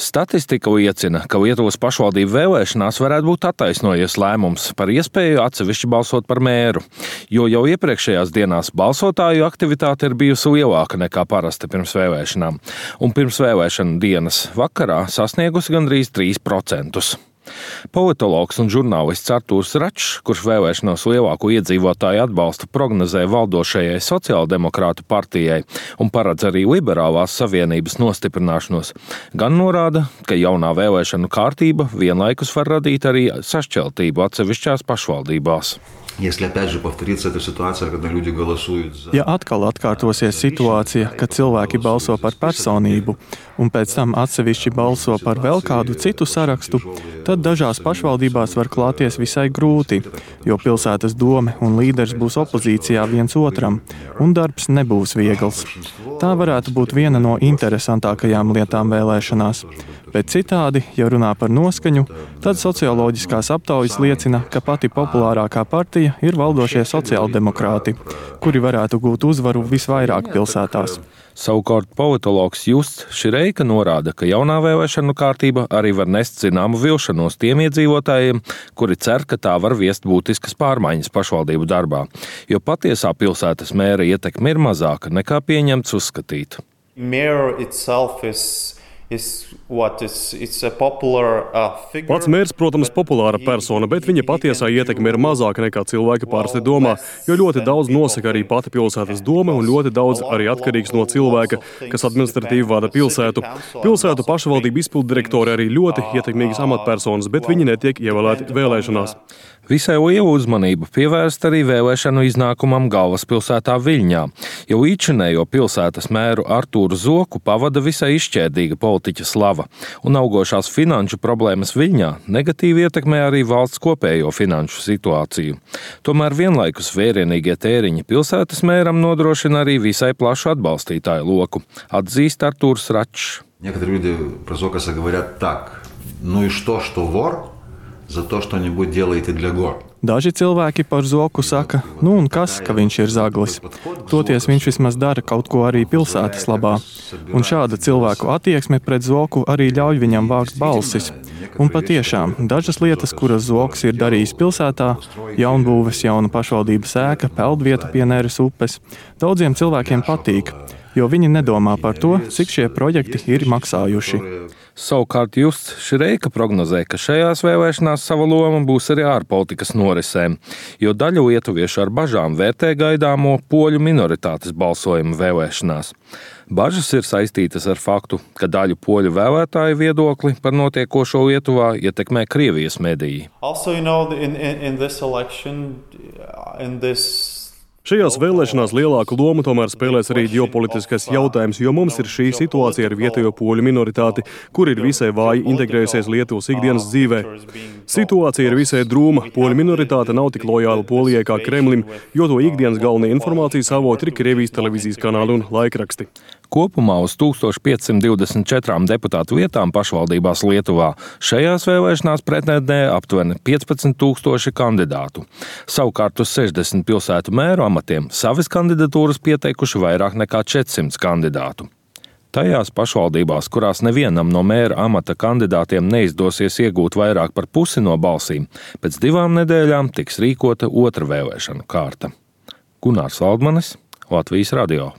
Statistika liecina, ka Lietuvas pašvaldību vēlēšanās varētu būt attaisnojies lēmums par iespēju atsevišķi balsot par mēru, jo jau iepriekšējās dienās balsotāju aktivitāte ir bijusi lielāka nekā parasti pirms vēlēšanām, un pirms vēlēšanu dienas vakarā sasniegusi gandrīz 3%. Politologs un žurnālists Artūrs Račs, kurš vēlēšanos lielāko iedzīvotāju atbalstu prognozē valdošajai sociāldemokrātu partijai un paredz arī liberālās savienības nostiprināšanos, gan norāda, ka jaunā vēlēšanu kārtība vienlaikus var radīt arī sašķeltību atsevišķās pašvaldībās. Ja atkal atkārtosies situācija, kad cilvēki balso par personību un pēc tam atsevišķi balso par vēl kādu citu sarakstu, tad dažās pašvaldībās var klāties visai grūti, jo pilsētas dome un līderis būs opozīcijā viens otram, un darbs nebūs viegls. Tā varētu būt viena no interesantākajām lietām vēlēšanās. Bet citādi, ja runā par noskaņu, tad socioloģiskās aptaujas liecina, ka pati populārākā partija ir valdošie sociāldemokrāti, kuri varētu gūt uzvaru visvairāk pilsētās. Savukārt politologs Justs Šireika norāda, ka jaunā vēlēšanu kārtība arī var nest zināmu vilšanos tiem iedzīvotājiem, kuri cer, ka tā var viest būtiskas pārmaiņas pašvaldību darbā, jo patiesā pilsētas mēra ietekme ir mazāka nekā pieņemts uzskatīt. Pats mērs, protams, populāra persona, bet viņa patiesā ietekme ir mazāka nekā cilvēki parasti domā, jo ļoti daudz nosaka arī pati pilsētas doma un ļoti daudz arī atkarīgs no cilvēka, kas administratīvi vada pilsētu. Pilsētu pašvaldību izpilddirektori arī ļoti ietekmīgas amatpersonas, bet viņi netiek ievēlēti vēlēšanās. Visai lielu uzmanību pievērst arī vēlēšanu iznākumam galvaspilsētā Viļņā, jo līdzinējo pilsētas mēru Artūru Zoku pavada visai izšķērdīga politiķa slava, un augošās finanšu problēmas Viļņā negatīvi ietekmē arī valsts kopējo finanšu situāciju. Tomēr vienlaikus vērienīgie tēriņi pilsētas mēram nodrošina arī visai plašu atbalstītāju loku, atzīst Artūrs Račs. Некоторые люди про Зокаса говорят так: ну и что вор? За то, что нибудь делаете для гор. Daži cilvēki par Zoku saka, un kas, ka viņš ir zaglis. Toties viņš vismaz dara kaut ko arī pilsētas labā. Un šāda cilvēku attieksme pret Zoku arī ļauj viņam vākt balsis. Un patiešām, dažas lietas, kuras Zoks ir darījis pilsētā, jaunbūves, jauna pašvaldības ēka, peldvieta pie Neres upes, daudziem cilvēkiem patīk, jo viņi nedomā par to, cik šie projekti ir maksājuši. Savukārt Justs Šireika prognozē, ka šajās vēlēšanās sava loma būs arī ārpolitikas norisēm, jo daļa lietuviešu ar bažām vērtē gaidāmo poļu minoritātes balsojumu vēlēšanās. Bažas ir saistītas ar faktu, ka daļu poļu vēlētāju viedokli par notiekošo Lietuvā ietekmē Krievijas mediji. Šajās vēlēšanās lielāku lomu tomēr spēlēs arī ģeopolitiskais jautājums, jo mums ir šī situācija ar vietējo poļu minoritāti, kur ir visai vāji integrējusies Lietuvas ikdienas dzīvē. Situācija ir visai drūma, poļu minoritāte nav tik lojāla Polijai kā Kremlim, jo to ikdienas galvenie informācijas avoti ir Krievijas televīzijas kanāli un laikraksti. Kopumā uz 1524 deputātu vietām pašvaldībās Lietuvā šajās vēlēšanās pretendē aptuveni 15,000 kandidātu. Savukārt uz 60 pilsētu mēru amatiem savas kandidatūras pieteikuši vairāk nekā 400 kandidātu. Tajās pašvaldībās, kurās nevienam no mēra amata kandidātiem neizdosies iegūt vairāk par pusi no balsīm, pēc 2 nedēļām tiks rīkota otra vēlēšanu kārta. Gunārs Valdmanis, Latvijas radio.